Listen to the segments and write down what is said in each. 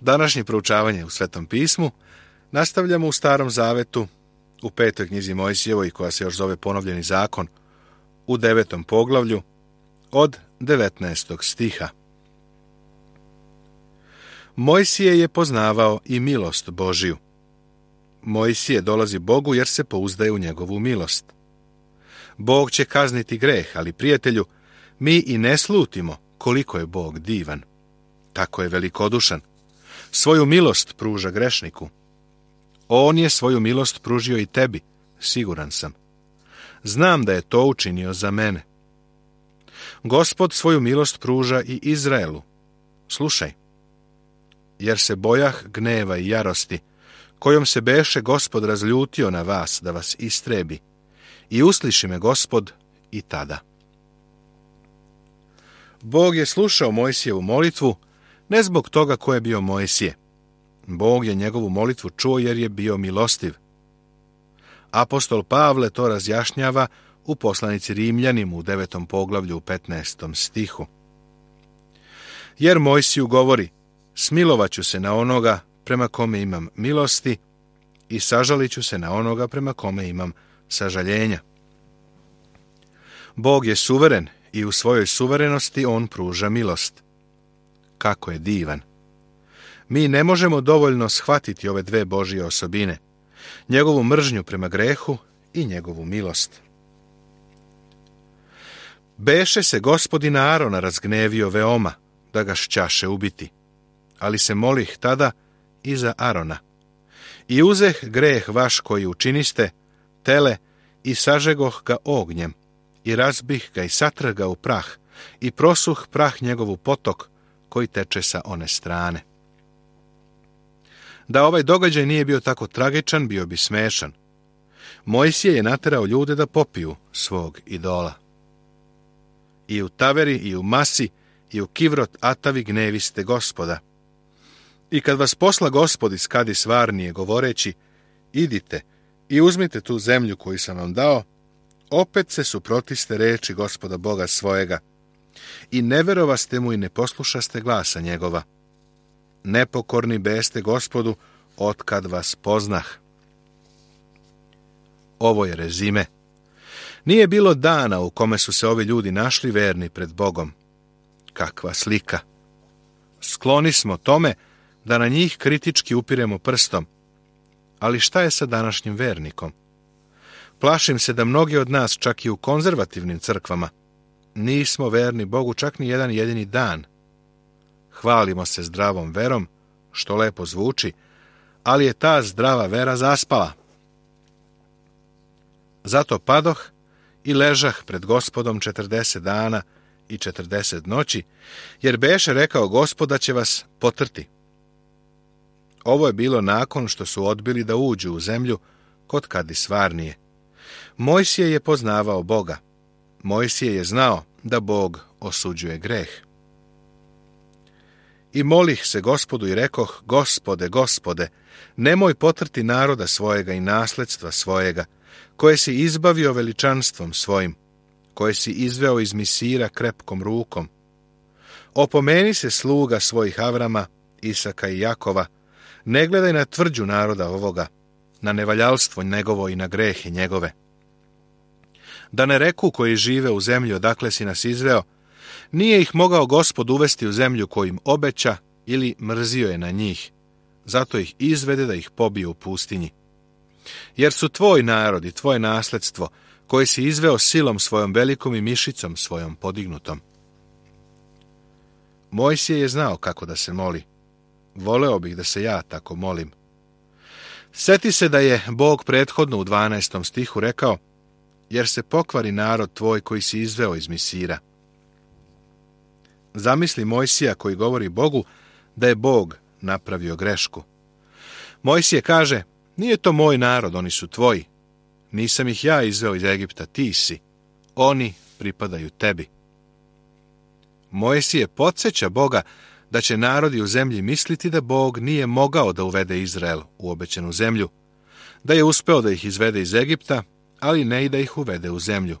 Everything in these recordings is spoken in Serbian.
Današnje proučavanje u Svetom pismu nastavljamo u Starom zavetu, u 5. knjizi Mojsijevoj, koja se još zove Ponovljeni zakon, u 9. poglavlju, od 19. stiha. Mojsije je poznavao i milost Božiju. Mojsije dolazi Bogu jer se pouzdaje u njegovu milost. Bog će kazniti greh, ali prijatelju, mi i ne slutimo koliko je Bog divan. Tako je velikodušan. Svoju milost pruža grešniku. On je svoju milost pružio i tebi, siguran sam. Znam da je to učinio za mene. Gospod svoju milost pruža i Izraelu. Slušaj. Jer se bojah gneva i jarosti, kojom se beše Gospod razljutio na vas da vas istrebi. I usliši me Gospod i tada. Bog je slušao Mojsijevu molitvu, ne zbog toga ko je bio Mojsije. Bog je njegovu molitvu čuo jer je bio milostiv. Apostol Pavle to razjašnjava u poslanici Rimljanima u 9. poglavlju u 15. stihu. Jer Mojsiju govori, smilovaću se na onoga prema kome imam milosti i sažalit ću se na onoga prema kome imam sažaljenja. Bog je suveren i u svojoj suverenosti on pruža milost. Kako je divan! Mi ne možemo dovoljno shvatiti ove dve Božje osobine, njegovu mržnju prema grehu i njegovu milost. Beše se Gospodin Arona razgnevio veoma, da ga šćaše ubiti, ali se molih tada i za Arona. I uzeh greh vaš koji učiniste, tele, i sažegoh ga ognjem, i razbih ga i satrh ga u prah, i prosuh prah njegovu potok, koji teče sa one strane. Da ovaj događaj nije bio tako tragičan, bio bi smešan. Mojsije je naterao ljude da popiju svog idola. I u Taveri, i u Masi, i u Kivrot Atavi gneviste Gospoda. I kad vas posla Gospod iz Kadis Varnije, govoreći, idite i uzmite tu zemlju koju sam vam dao, opet se suprotiste reči Gospoda Boga svojega. I ne verovaste mu i ne poslušaste glasa njegova. Nepokorni beste Gospodu, otkad vas poznah. Ovo je rezime. Nije bilo dana u kome su se ovi ljudi našli verni pred Bogom. Kakva slika! Skloni smo tome da na njih kritički upiremo prstom. Ali šta je sa današnjim vernikom? Plašim se da mnogi od nas, čak i u konzervativnim crkvama, nismo verni Bogu čak ni jedan jedini dan. Hvalimo se zdravom verom, što lepo zvuči, ali je ta zdrava vera zaspala. Zato padoh i ležah pred Gospodom 40 dana i 40 noći, jer beše rekao Gospod da će vas potrti. Ovo je bilo nakon što su odbili da uđu u zemlju kod Kadis Varnije. Mojsije je poznavao Boga. Mojsije je znao da Bog osuđuje greh. I molih se Gospodu i rekoh, Gospode, Gospode, nemoj potrti naroda svojega i nasledstva svojega, koje si izbavio veličanstvom svojim, koje si izveo iz Misira krepkom rukom. Opomeni se sluga svojih Avrama, Isaka i Jakova, ne gledaj na tvrđu naroda ovoga, na nevaljalstvo njegovo i na grehe njegove. Da ne reku koji žive u zemlji odakle si nas izveo, nije ih mogao Gospod uvesti u zemlju kojim obeća ili mrzio je na njih, zato ih izvede da ih pobije u pustinji. Jer su tvoj narod i tvoje nasledstvo, koje si izveo silom svojom velikom i mišicom svojom podignutom. Mojsije je znao kako da se moli. Voleo bih da se ja tako molim. Sjeti se da je Bog prethodno u 12. stihu rekao, jer se pokvari narod tvoj koji si izveo iz Misira. Zamisli Mojsija koji govori Bogu da je Bog napravio grešku. Mojsije kaže, nije to moj narod, oni su tvoji. Nisam ih ja izveo iz Egipta, ti si. Oni pripadaju tebi. Mojsije podsjeća Boga da će narodi u zemlji misliti da Bog nije mogao da uvede Izrael u obećanu zemlju, da je uspeo da ih izvede iz Egipta, ali ne i da ih uvede u zemlju.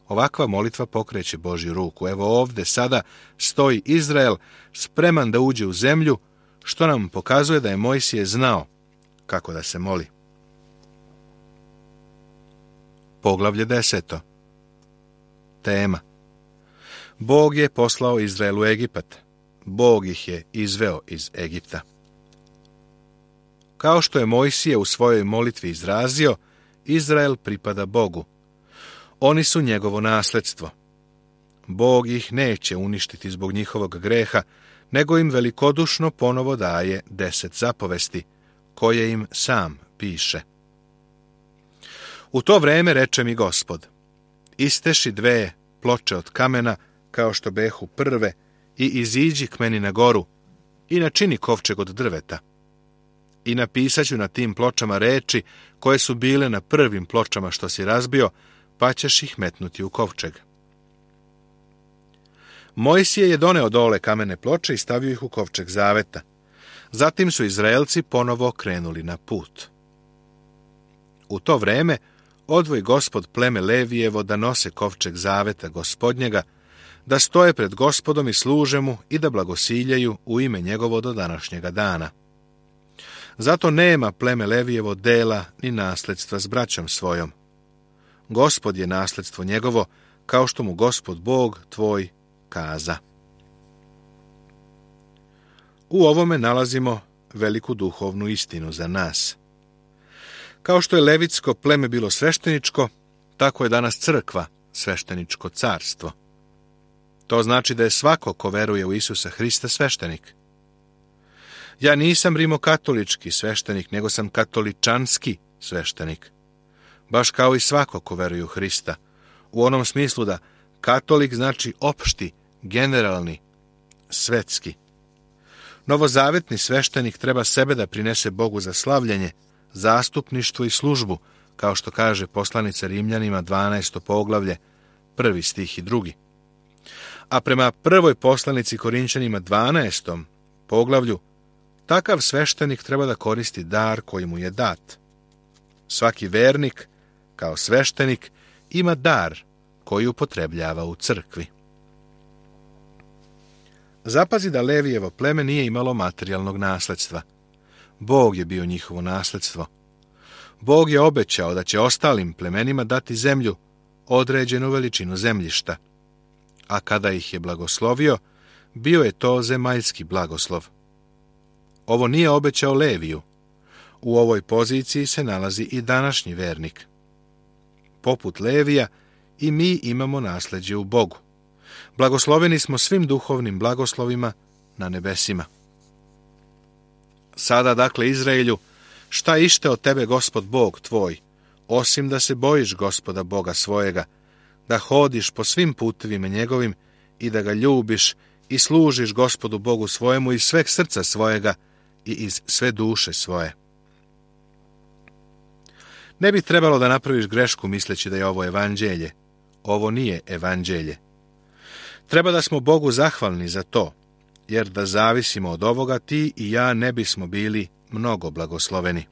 Ovakva molitva pokreće Božju ruku. Evo ovde sada stoji Izrael spreman da uđe u zemlju, što nam pokazuje da je Mojsije znao kako da se moli. Poglavlje 10. Tema: Bog je poslao Izrael u Egipat. Bog ih je izveo iz Egipta. Kao što je Mojsije u svojoj molitvi izrazio, Izrael pripada Bogu. Oni su njegovo nasljedstvo. Bog ih neće uništiti zbog njihovog greha, nego im velikodušno ponovo daje 10 zapovesti, koje im sam piše. U to vreme reče mi Gospod: isteši 2 ploče od kamena, kao što behu prve, i iziđi k meni na goru, i načini kovčeg od drveta. I napisaću na tim pločama reči koje su bile na prvim pločama što si razbio, pa ćeš ih metnuti u kovčeg. Mojsije je doneo dole kamene ploče i stavio ih u kovčeg zaveta. Zatim su Izraelci ponovo krenuli na put. U to vreme odvoj Gospod pleme Levijevo da nose kovčeg zaveta Gospodnjega, da stoje pred Gospodom i služe mu i da blagosiljaju u ime njegovo do današnjega dana. Zato nema pleme Levijevo dela ni nasljedstva s braćom svojom. Gospod je nasljedstvo njegovo, kao što mu Gospod Bog tvoj kaza. U ovome nalazimo veliku duhovnu istinu za nas. Kao što je levitsko pleme bilo svešteničko, tako je danas crkva svešteničko carstvo. To znači da je svako ko veruje u Isusa Hrista sveštenik. Ja nisam rimokatolički sveštenik, nego sam katoličanski sveštenik. Baš kao i svako ko veruje u Hrista, u onom smislu da katolik znači opšti, generalni, svetski. Novozavetni sveštenik treba sebe da prinese Bogu za slavljenje, zastupništvo i službu, kao što kaže poslanica Rimljanima 12. poglavlje, 1. stih i 2. A prema prvoj poslanici Korinćanima 12. poglavlju, takav sveštenik treba da koristi dar koji mu je dat. Svaki vernik, kao sveštenik, ima dar koji upotrebljava u crkvi. Zapazi da Levijevo pleme nije imalo materijalnog nasljedstva. Bog je bio njihovo nasljedstvo. Bog je obećao da će ostalim plemenima dati zemlju, određenu veličinu zemljišta. A kada ih je blagoslovio, bio je to zemaljski blagoslov. Ovo nije obećao Leviju. U ovoj poziciji se nalazi i današnji vernik. Poput Levija, i mi imamo nasljeđe u Bogu. Blagosloveni smo svim duhovnim blagoslovima na nebesima. Sada, dakle, Izraelju, šta ište od tebe Gospod Bog tvoj, osim da se bojiš Gospoda Boga svojega, da hodiš po svim putevima njegovim i da ga ljubiš i služiš Gospodu Bogu svojemu iz sveg srca svojega i iz sve duše svoje. Ne bi trebalo da napraviš grešku misleći da je ovo evanđelje. Ovo nije evanđelje. Treba da smo Bogu zahvalni za to, jer da zavisimo od ovoga, ti i ja ne bismo bili mnogo blagosloveni.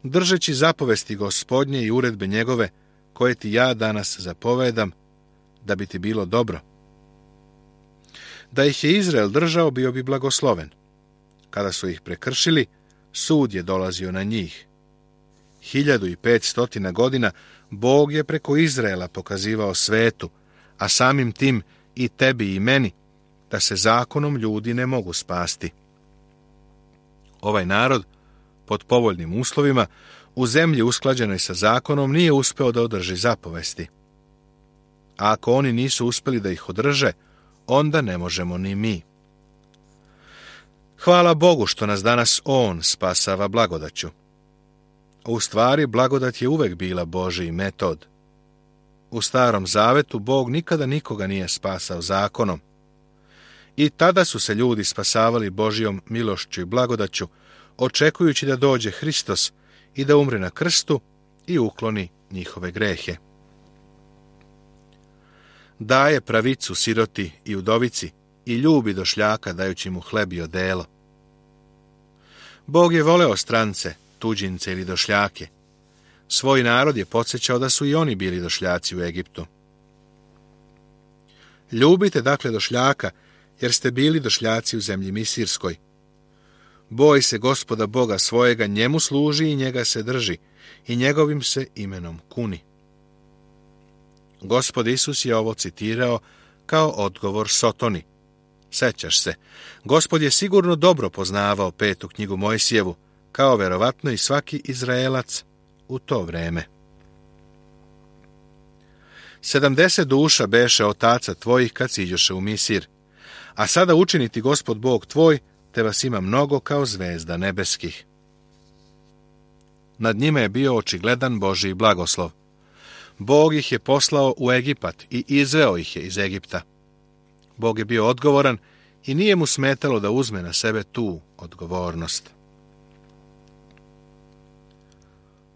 Držeći zapovesti Gospodnje i uredbe njegove, koje ti ja danas zapovedam, da bi ti bilo dobro. Da ih je Izrael držao, bio bi blagosloven. Kada su ih prekršili, sud je dolazio na njih. 1500 godina Bog je preko Izraela pokazivao svetu, a samim tim i tebi i meni, da se zakonom ljudi ne mogu spasti. Ovaj narod, pod povoljnim uslovima, u zemlji usklađenoj sa zakonom, nije uspeo da održi zapovesti. A ako oni nisu uspeli da ih održe, onda ne možemo ni mi. Hvala Bogu što nas danas On spasava blagodaću. U stvari, blagodat je uvek bila Božji metod. U Starom Zavetu Bog nikada nikoga nije spasao zakonom. I tada su se ljudi spasavali Božjom milošću i blagodaću, očekujući da dođe Hristos i da umre na krstu i ukloni njihove grehe. Daje pravicu siroti i udovici i ljubi došljaka dajući mu hleb i odelo. Bog je voleo strance, tuđince ili došljake. Svoj narod je podsjećao da su i oni bili došljaci u Egiptu. Ljubite dakle došljaka jer ste bili došljaci u zemlji Misirskoj. Boj se Gospoda Boga svojega, njemu služi i njega se drži, i njegovim se imenom kuni. Gospod Isus je ovo citirao kao odgovor Sotoni. Sećaš se, Gospod je sigurno dobro poznavao 5. knjigu Mojsijevu, kao verovatno i svaki Izraelac u to vreme. 70 duša beše otaca tvojih kad siđoše u Misir, a sada učini ti Gospod Bog tvoj, te vas ima mnogo kao zvezda nebeskih. Nad njima je bio očigledan Božji blagoslov. Bog ih je poslao u Egipat i izveo ih je iz Egipta. Bog je bio odgovoran i nije mu smetalo da uzme na sebe tu odgovornost.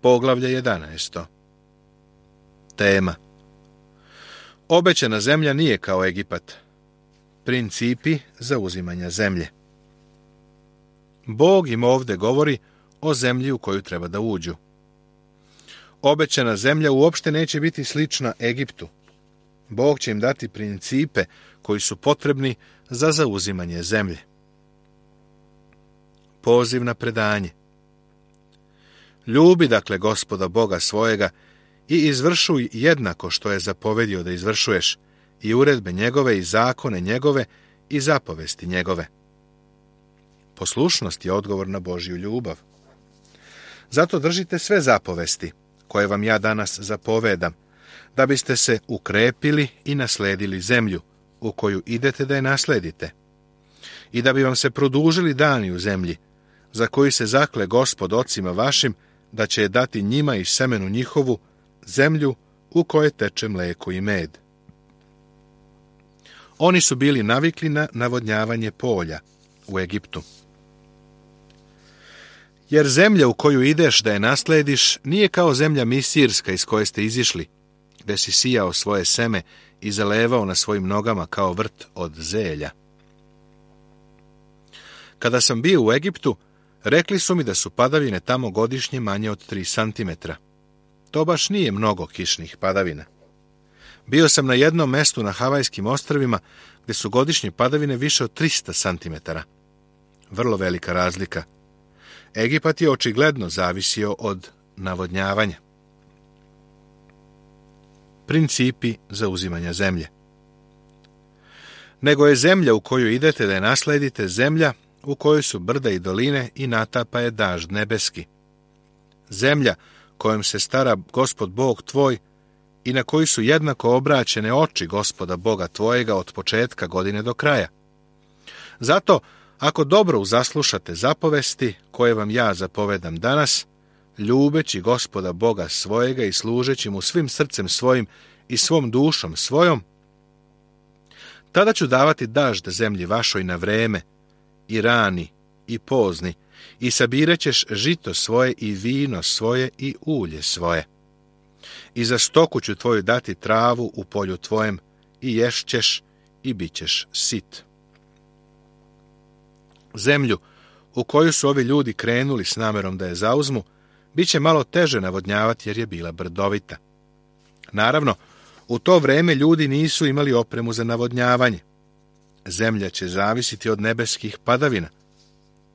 Poglavlje 11. Tema. Obećana zemlja nije kao Egipat. Principi zauzimanja zemlje. Bog im ovdje govori o zemlji u koju treba da uđu. Obećana zemlja uopšte neće biti slična Egiptu. Bog će im dati principe koji su potrebni za zauzimanje zemlje. Poziv na predanje. Ljubi dakle Gospoda Boga svojega i izvršuj jednako što je zapovedio da izvršuješ, i uredbe njegove i zakone njegove i zapovesti njegove. Poslušnost je odgovor na Božju ljubav. Zato držite sve zapovesti koje vam ja danas zapovedam, da biste se ukrepili i nasledili zemlju u koju idete da je nasledite, i da bi vam se produžili dani u zemlji, za koju se zakle Gospod ocima vašim, da će je dati njima i semenu njihovu, zemlju u kojoj teče mleko i med. Oni su bili navikli na navodnjavanje polja u Egiptu. Jer zemlja u koju ideš da je naslediš nije kao zemlja Misirska iz koje ste izišli, gde si sijao svoje seme i zalevao na svojim nogama kao vrt od zelja. Kada sam bio u Egiptu, rekli su mi da su padavine tamo godišnje manje od 3 santimetra. To baš nije mnogo kišnih padavina. Bio sam na jednom mestu na Havajskim ostrvima gde su godišnje padavine više od 300 santimetara. Vrlo velika razlika. Egipat je očigledno zavisio od navodnjavanja. Principi zauzimanja zemlje. Nego je zemlja u koju idete da je nasledite zemlja u kojoj su brda i doline i natapa je dažd nebeski. Zemlja kojom se stara Gospod Bog tvoj i na koju su jednako obraćene oči Gospoda Boga tvojega od početka godine do kraja. Zato, ako dobro uzaslušate zapovesti koje vam ja zapovedam danas, ljubeći Gospoda Boga svojega i služeći mu svim srcem svojim i svom dušom svojom, tada ću davati dažd zemlji vašoj na vreme, i rani, i pozni, i sabirat ćeš žito svoje i vino svoje i ulje svoje. I za stoku ću tvoju dati travu u polju tvojem, i ješćeš i bit ćeš sit. Zemlju u koju su ovi ljudi krenuli s namerom da je zauzmu, bit će malo teže navodnjavati jer je bila brdovita. Naravno, u to vreme ljudi nisu imali opremu za navodnjavanje. Zemlja će zavisiti od nebeskih padavina.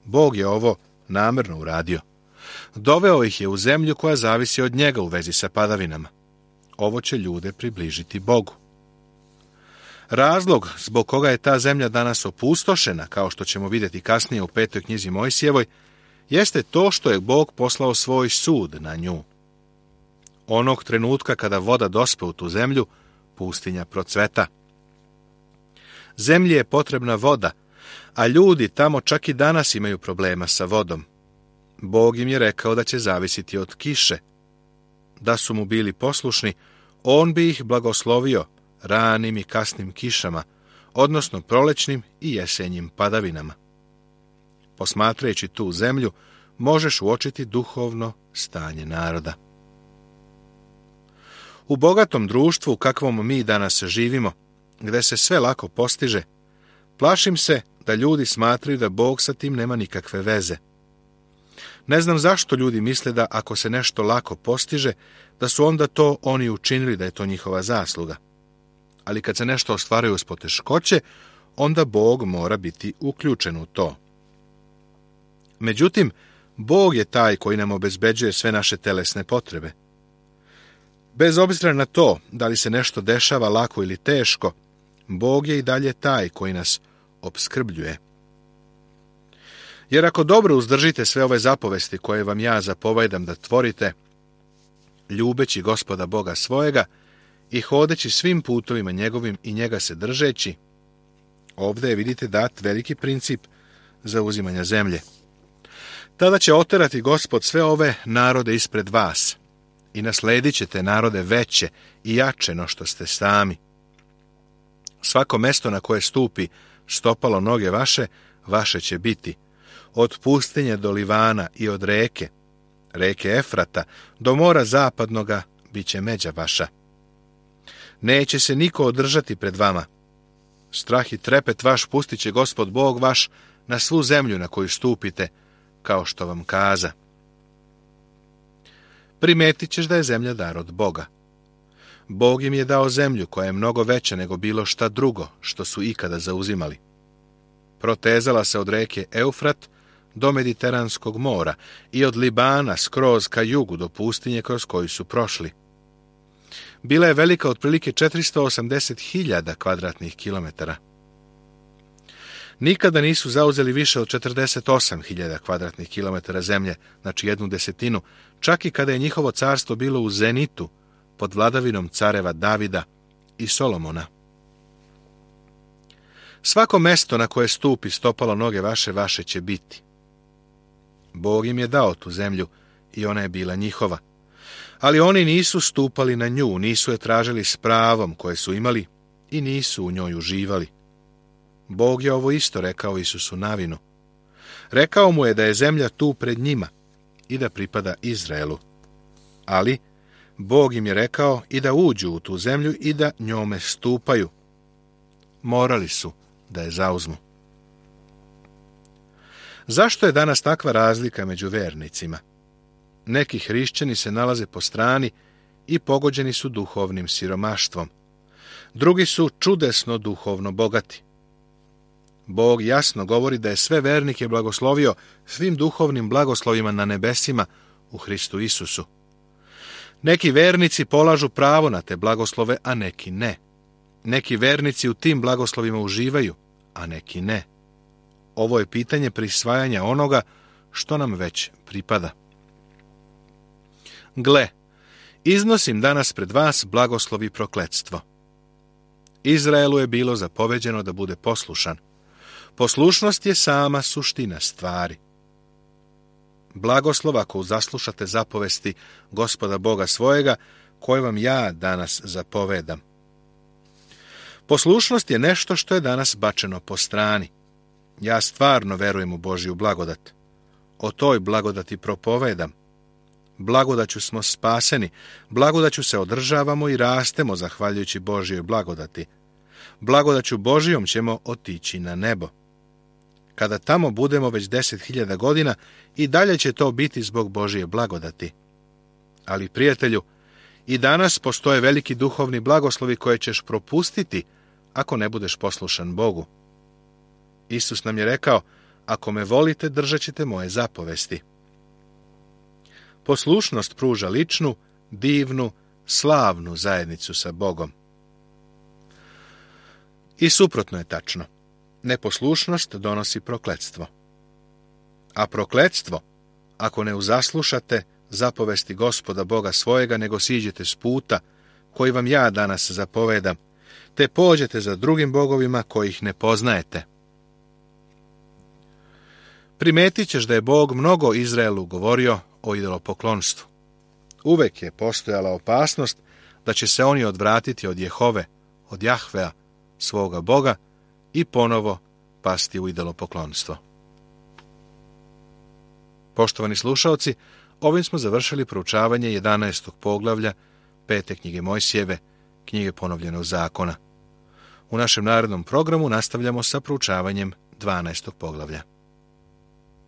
Bog je ovo namerno uradio. Doveo ih je u zemlju koja zavisi od njega u vezi sa padavinama. Ovo će ljude približiti Bogu. Razlog zbog koga je ta zemlja danas opustošena, kao što ćemo vidjeti kasnije u 5. knjizi Mojsijevoj, jeste to što je Bog poslao svoj sud na nju. Onog trenutka kada voda dospe u tu zemlju, pustinja procveta. Zemlji je potrebna voda, a ljudi tamo čak i danas imaju problema sa vodom. Bog im je rekao da će zavisiti od kiše. Da su mu bili poslušni, on bi ih blagoslovio ranim i kasnim kišama, odnosno prolećnim i jesenjim padavinama. Posmatrajući tu zemlju, možeš uočiti duhovno stanje naroda. U bogatom društvu, kakvom mi danas živimo, gde se sve lako postiže, plašim se da ljudi smatraju da Bog sa tim nema nikakve veze. Ne znam zašto ljudi misle da ako se nešto lako postiže, da su onda to oni učinili, da je to njihova zasluga. Ali kad se nešto ostvaruje uz poteškoće, onda Bog mora biti uključen u to. Međutim, Bog je taj koji nam obezbeđuje sve naše telesne potrebe. Bez obzira na to da li se nešto dešava lako ili teško, Bog je i dalje taj koji nas opskrbljuje. Jer ako dobro uzdržite sve ove zapovesti koje vam ja zapovedam da tvorite, ljubeći Gospoda Boga svojega i hodeći svim putovima njegovim i njega se držeći, ovdje je, vidite, dat veliki princip za uzimanja zemlje. Tada će oterati Gospod sve ove narode ispred vas i nasledit ćete narode veće i jače no što ste sami. Svako mesto na koje stupi stopalo noge vaše, vaše će biti. Od pustinje do Livana i od reke Efrata, do mora zapadnoga bit će međa vaša. Neće se niko održati pred vama. Strah i trepet vaš pustit će Gospod Bog vaš na svu zemlju na koju stupite, kao što vam kaza. Primetit ćeš da je zemlja dar od Boga. Bog im je dao zemlju koja je mnogo veća nego bilo šta drugo što su ikada zauzimali. Protezala se od reke Eufrat do Mediteranskog mora i od Libana skroz ka jugu do pustinje kroz koju su prošli. Bila je velika otprilike 480.000 kvadratnih kilometara. Nikada nisu zauzeli više od 48.000 kvadratnih kilometara zemlje, znači 1/10, čak i kada je njihovo carstvo bilo u zenitu, pod vladavinom careva Davida i Solomona. Svako mesto na koje stupi stopalo noge vaše, vaše će biti. Bog im je dao tu zemlju i ona je bila njihova. Ali oni nisu stupali na nju, nisu je tražili s pravom koje su imali i nisu u njoj uživali. Bog je ovo isto rekao Isusu Navinu. Rekao mu je da je zemlja tu pred njima i da pripada Izraelu. Ali Bog im je rekao i da uđu u tu zemlju i da njome stupaju. Morali su da je zauzmu. Zašto je danas takva razlika među vernicima? Neki hrišćani se nalaze po strani i pogođeni su duhovnim siromaštvom. Drugi su čudesno duhovno bogati. Bog jasno govori da je sve vernike blagoslovio svim duhovnim blagoslovima na nebesima u Hristu Isusu. Neki vernici polažu pravo na te blagoslove, a neki ne. Neki vernici u tim blagoslovima uživaju, a neki ne. Ovo je pitanje prisvajanja onoga što nam već pripada. Gle, iznosim danas pred vas blagoslov i prokletstvo. Izraelu je bilo zapoveđeno da bude poslušan. Poslušnost je sama suština stvari. Blagoslov ako zaslušate zapovesti Gospoda Boga svojega, koje vam ja danas zapovedam. Poslušnost je nešto što je danas bačeno po strani. Ja stvarno verujem u Božju blagodat. O toj blagodati propovedam. Blagodaću smo spaseni, blagodaću se održavamo i rastemo zahvaljujući Božjoj blagodati. Blagodaću Božjom ćemo otići na nebo. Kada tamo budemo već 10.000 godina, i dalje će to biti zbog Božje blagodati. Ali, prijatelju, i danas postoje veliki duhovni blagoslovi koje ćeš propustiti ako ne budeš poslušan Bogu. Isus nam je rekao, ako me volite, držat ćete moje zapovesti. Poslušnost pruža ličnu, divnu, slavnu zajednicu sa Bogom. I suprotno je tačno. Neposlušnost donosi prokletstvo. A prokletstvo, ako ne uzaslušate zapovesti Gospoda Boga svojega, nego siđete s puta koji vam ja danas zapovedam, te pođete za drugim bogovima kojih ne poznajete. Primetit ćeš da je Bog mnogo Izraelu govorio o idolopoklonstvu. Uvek je postojala opasnost da će se oni odvratiti od Jehove, od Jahvea, svoga Boga, i ponovo pasti u idolopoklonstvo. Poštovani slušaoci, ovim smo završili proučavanje 11. poglavlja 5. knjige Mojsijeve, knjige ponovljenog zakona. U našem narednom programu nastavljamo sa proučavanjem 12. poglavlja.